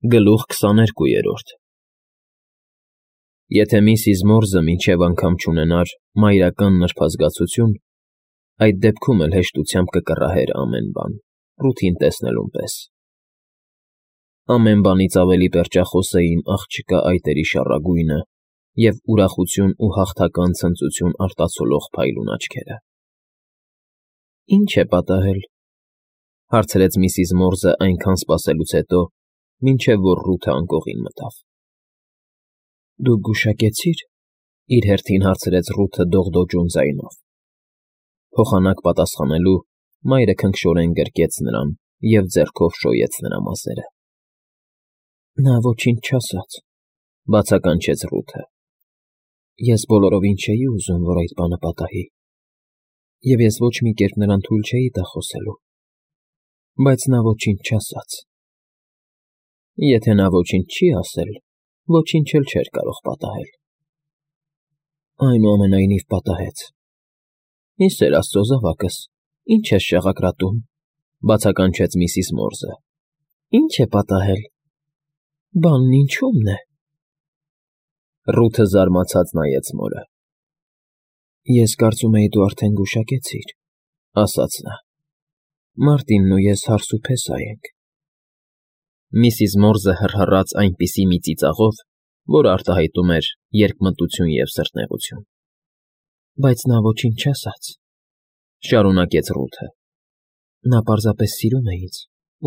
Գլուխ 22 Եթե միսիս Մորզը մինչև անգամ չունենար մայրական նրբազգացություն, այդ դեպքում էլ հեշտությամբ կկռահեր ամեն բան, Ռութին տեսնելուն պես. ամեն բանից ավելի պերճախոս էին աղջկա այտերի շառագույնը և ուրախություն ու հաղթական ցնծություն արտացոլող փայլուն աչքերը։ «Ի՞նչ է պատահել,֊ հարցրեց միսիս Մորզը այնքան սպասելուց հետո, մինչև որ Ռութը անկողին մտավ։ «Դու գուշակեցի՞ր,֊ իր հերթին հարցրեց Ռութը դողդոջուն ձայնով։ Փոխանակ պատասխանելու մայրը քնքշորեն գրկեց նրան և ձեռքով շոյեց նրա մազերը։ «Նա ոչինչ չասաց,֊ բացականչեց Ռութը։ Ես բոլորովին չէի ուզում, որ այդ բանը պատահի, և ես ոչ մի կերպ նրան թույլ չէի տա խոսելու, բայց նա ոչինչ չասաց։ Եթե նա ոչինչ չի ասել, ոչինչ էլ չէր կարող պատահել։ Այնուամենայնիվ պատահեց։ Իսեր Աստծո զավակս, ի՞նչ ես շաղակրատում,֊ բացականչեց միսիս Մորզը։ «Ի՞նչ է պատահել։ Բանն ինչո՞ւմն է»։ Ռութը զարմացած նայեց մորը։ «Ես կարծում էի դու արդեն գուշակեցիր,֊ ասաց նա։ Մարտինն ու ես հարսուփեսա ենք»։ Միսիս Մորզը հռհռաց այնպիսի մի ծիծաղով, որ արտահայտում էր երկմտություն և սրտնեղություն։ «Բայց նա ոչինչ չասաց,֊ շարունակեց Ռութը։ Նա պարզապես սիրում է ինձ,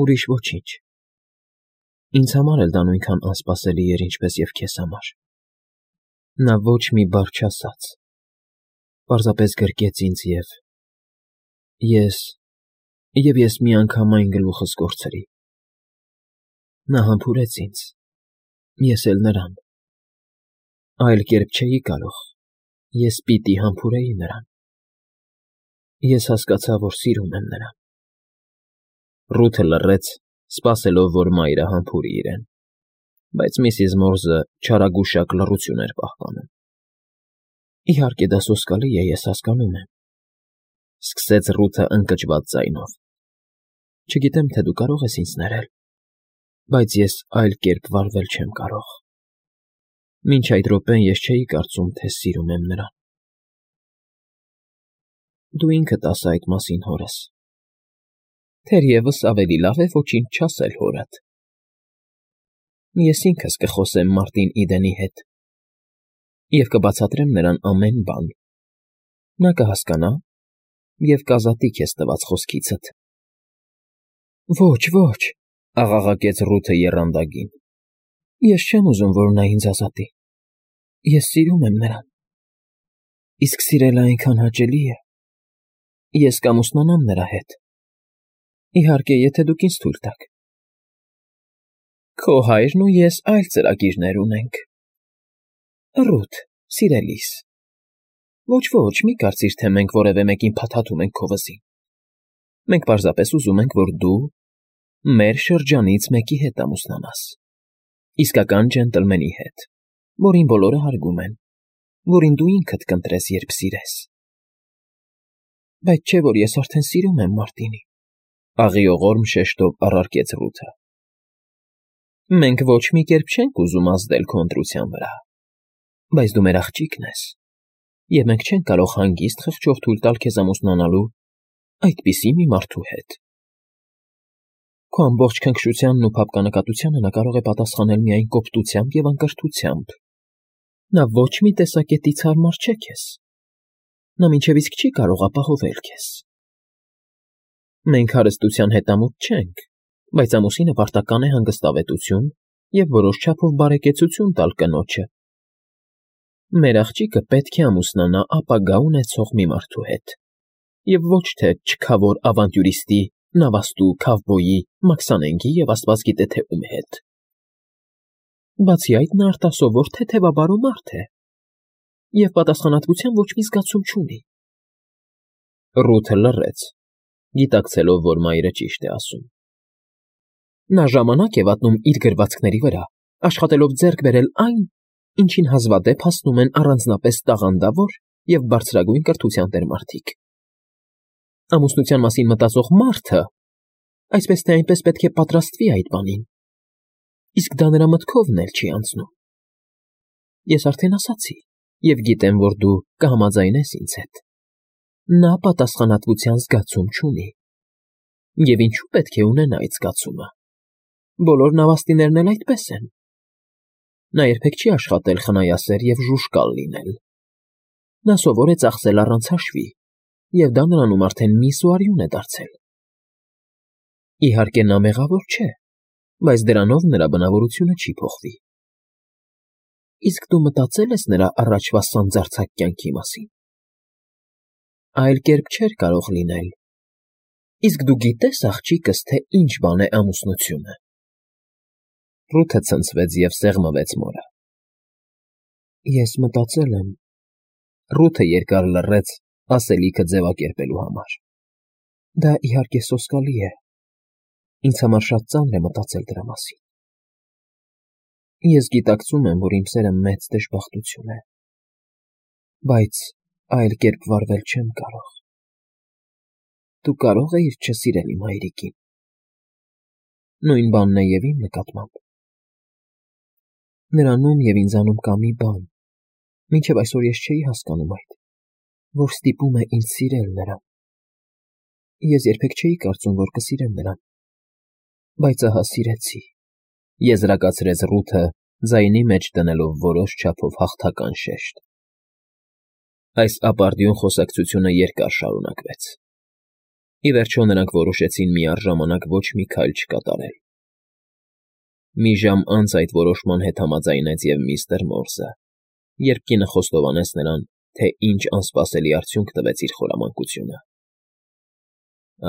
ուրիշ ոչինչ։ Ինձ համար էլ դա նույնքան անսպասելի էր, ինչպես և քեզ համար։ Նա ոչ մի բառ չասաց, պարզապես գրկեց ինձ և ես միանգամայն գլուխս կորցրի։ Նա համբուրեց ինձ, ես էլ նրան։ Այլ կերպ չէի կարող, ես պիտի համբուրեի նրան։ Ես հասկացա, որ սիրում եմ նրան»։ Ռութը լռեց, սպասելով, որ մայրը համբուրի իրեն, բայց միսիս Մորզը չարագուշակ լռություն էր պահպանում։ «Իհարկե դա սոսկալի է, ես հասկանում եմ,֊ սկսեց Ռութը ընկճված ձայնով։ Չգիտեմ, թե դու կարող ես ինձ ներել, բայց ես այլ կերպ վարվել չեմ կարող։ Մինչ այդ րոպեն ես չէի կարծում, թե սիրում եմ նրան։ Դու ինքդ ասա այդ մասին հորս։ Թերևս ավելի լավ է ոչինչ չասել հորդ։ Ես ինքս կխոսեմ Մարտին Իդենի հետ և կբացատրեմ նրան ամեն բան։ Նա կհասկանա և կազատի քեզ տված խոսքիցդ»։ «Ոչ, ոչ,֊ աղաղակեց Ռութը եռանդագին։ Ես չեմ ուզում, որ նա ինձ ազատի։ Ես սիրում եմ նրան։ Իսկ սիրելը այնքան հաճելի է։ Ես կամուսնանամ նրա հետ։ Իհարկե, եթե դուք ինձ թույլ տաք։ Քո հայրն ու ես այլ ծրագիրներ ունենք։ Ռութ, սիրելիս, ոչ, մի կարծիր, թե մենք որևէ մեկին փաթաթում ենք քո վզին։ Մենք պարզապես ուզում ենք, որ դու մեր շրջանից մեկի հետ ամուսնանաս։ Իսկական ջենտլմենի հետ, որին բոլորը հարգում են, որին դու ինքդ կընտրես, երբ սիրես։ Բայց չէ՞ որ ես արդեն սիրում եմ Մարտինին,֊ աղիողորմ շեշտով առարկեց Ռութը։ Մենք ոչ մի կերպ չենք ուզում ազդել քո ընտրության վրա, բայց դու մեր աղջիկն ես, և մենք չենք կարող հանգիստ խղճով թույլ տալ քեզ ամուսնանալու այդպիսի մի մարդու հետ։ Քո ամբողջ քնքշությանն ու փափկանակատությանը նա կարող է պատասխանել միայն կոպտությամբ և անկրթությամբ։ Նա ոչ մի տեսակետից հարմար չէ քեզ։ Նա մինչև իսկ չի կարող ապահովել քեզ։ Մենք հարստության հետամուտ չենք, բայց ամուսինը պարտական է հանգստավետություն և որոշ չափով բարեկեցություն տալ կնոջը։ Մեր աղջիկը պետք է ամուսնանա ապագա ունեցող մի մարդու հետ, և ոչ թե չքավոր ավանտյուրիստի, նավաստու, քավբոյի, մաքսանենգի և աստված գիտե թե ում հետ։ Բացի այդ, նա արտասովոր թեթևաբարո մարդ է և պատասխանատվության ոչ մի զգացում չունի։ Ռութը լռեց, գիտակցելով, որ մայրը ճիշտ է ասում։ Նա ժամանակ է վատնում իր գրվածքների վրա, աշխատելով ձեռք բերել այն, ինչին հազվադեպ հասնում են առանձնապես տաղանդավոր և բարձրագույն կրթության տեր մարդիկ։ Ամուսնության մասին մտածող մարդը այսպես թե այնպես պետք է պատրաստվի այդ բանին։ Իսկ դա նրա մտքովն էլ չի անցնում։ Ես արդեն ասացի և գիտեմ, որ դու կհամաձայնես ինձ հետ։ Նա պատասխանատվության զգացում չունի։ Եվ ինչու պետք է ունենա այդ զգացումը։ Բոլոր նավաստիներն էլ այդպես են։ Նա երբեք չի աշխատել խնայասեր և ժուժկալ լինել։ Նա սովոր է ծախսել առանց հաշվի, և դա նրանում արդեն միս ու արյուն է դարձել։ Իհարկե նա մեղավոր չէ, բայց դրանով նրա բնավորությունը չի փոխվի։ Իսկ դու մտածել ես նրա առաջվա սանձարձակ կյանքի մասին։ Այլ կերպ չէր կարող լինել։ Իսկ դու գիտե՞ս, աղջիկս, թե ինչ բան է ամուսնությունը։ Ռութը ցնցվեց և սեղմվեց մորը։ Ես մտածել եմ։ Ռութը երկար լռեց ասելիքը ձևակերպելու համար։ Դա իհարկե սոսկալի է։ Ինձ համար շատ ծանր է մտածել դրա մասին։ Ես գիտակցում եմ, որ իմ սերը մեծ դժբախտություն է, բայց այլ կերպ վարվել չեմ կարող։ Դու կարո՞ղ էիր չսիրել իմ հայրիկին։ Նույն բանն է և իմ նկատմամբ։ Նրանում և ինձանում կա մի բան, մինչև այսօր ես չէի հասկանում այդ, որ ստիպում է ինձ սիրել նրան։ Ես երբեք չէի կարծում, որ կսիրեմ նրան, բայց ահա սիրեցի, եզրակացրեց Ռութը, ձայնի մեջ դնելով որոշ չափով հաղթական շեշտ։ Այս ապարդյուն խոսակցությունը երկար շարունակվեց։ Ի վերջո նրանք որոշեցին միառժամանակ ոչ մի քայլ չկատարել։ Մի ժամ անց այդ որոշման հետ համաձայնեց և միստր Մորզը, երբ կինը խոստովանեց նրան, թե ինչ անսպասելի արդյունք տվեց իր խորամանկությունը։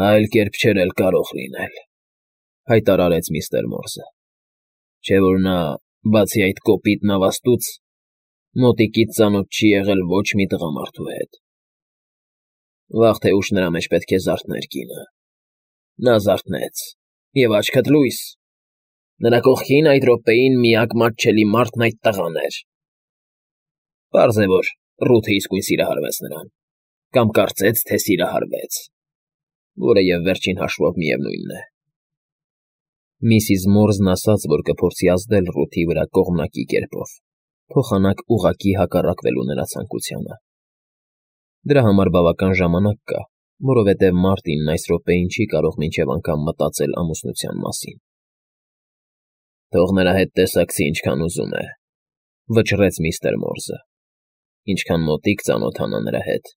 Այլ կերպ չէր էլ կարող լինել, հայտարարեց միստր Մորզը, չէ՞ որ նա, բացի այդ կոպիտ նավաստուց, մոտիկից ծանոթ չի եղել ոչ մի տղամարդու հետ։ Վաղ թե ուշ նրա մեջ պետք է զարթներ կինը։ Նա զարթնեց, և աչքդ լույս, նրա կողքին այդ րոպեին միակ մատչելի մարդն այդ տղան էր։ Պարզ է, որ Ռութը իսկույն սիրահարվեց նրան, կամ կարծեց, թե սիրահարվեց, որը և վերջին հաշվով միևնույնն է։ Միսիս Մորզն ասաց, որ կփորձի ազդել Ռութի վրա կողմնակի կերպով, փոխանակ ուղղակի հակառակվելու նրա ցանկությանը։ Դրա համար բավական ժամանակ կա, որովհետև Մարտինն այս րոպեին չի կարող մինչև անգամ մտածել ամուսնության մասին։ Թող նրա հետ տեսակցի ինչքան ուզում է, վճռեց միստր Մորզը։ Ինչքան մոտիկ ծանոթանա նրա հետ,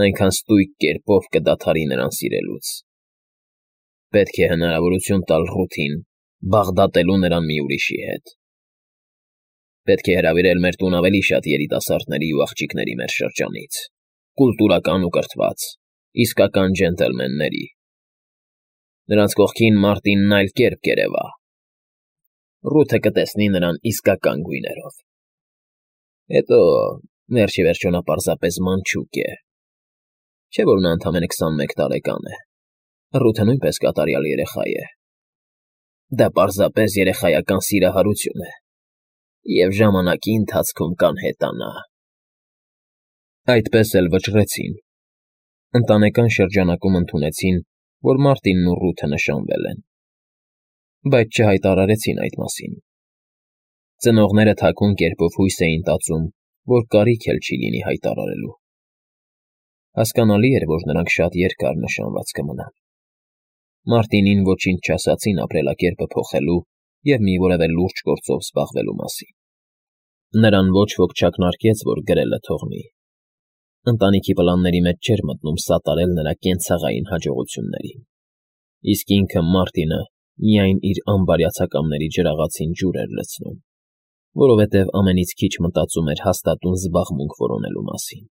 այնքան ստույգ կերպով կդադարի նրան սիրելուց։ Պետք է հնարավորություն տալ Ռութին բաղդատելու նրան մի ուրիշի հետ։ Պետք է հրավիրել մեր տուն ավելի շատ երիտասարդների ու աղջիկների մեր շրջանից, կուլտուրական ու կրթված, իսկական ջենտլմենների։ Նրանց կողքին Մարտինն այլ կերպ կերևա։ Ռութը կտեսնի նրան իսկական գույներով։ Հետո, վերջ ի վերջո նա պարզապես մանչուկ է։ Չէ՞ որ նա ընդամենը 21 տարեկան է։ Ռութը նույնպես կատարյալ երեխա է։ Դա պարզապես երեխայական սիրահարություն է, և ժամանակի ընթացքում կանհետանա։ Այդպես էլ վճռեցին։ Ընտանեկան շրջանակում ընդունեցին, որ Մարտինն ու Ռութը նշանվել են, բայց չհայտարարեցին այդ մասին։ Ծնողները թաքուն կերպով հույս էին տածում, որ կարիք էլ չի լինի հայտարարելու։ Հասկանալի էր, որ նրանք շատ երկար նշանված կմնան։ Մարտինին ոչինչ չասացին ապրելակերպը փոխելու և մի որևէ լուրջ գործով զբաղվելու մասին։ Նրան ոչ ոք չակնարկեց, որ գրելը թողնի։ Ընտանիքի պլանների մեջ չէր մտնում սատարել նրա կենցաղային հաջողություններին։ Իսկ ինքը Մարտինը միայն իր անբարյացակամների ջրաղացին ջուր էր լցնում, որովհետև ամենից քիչ մտածում էր հաստատուն զբաղմունք որոնելու մասին։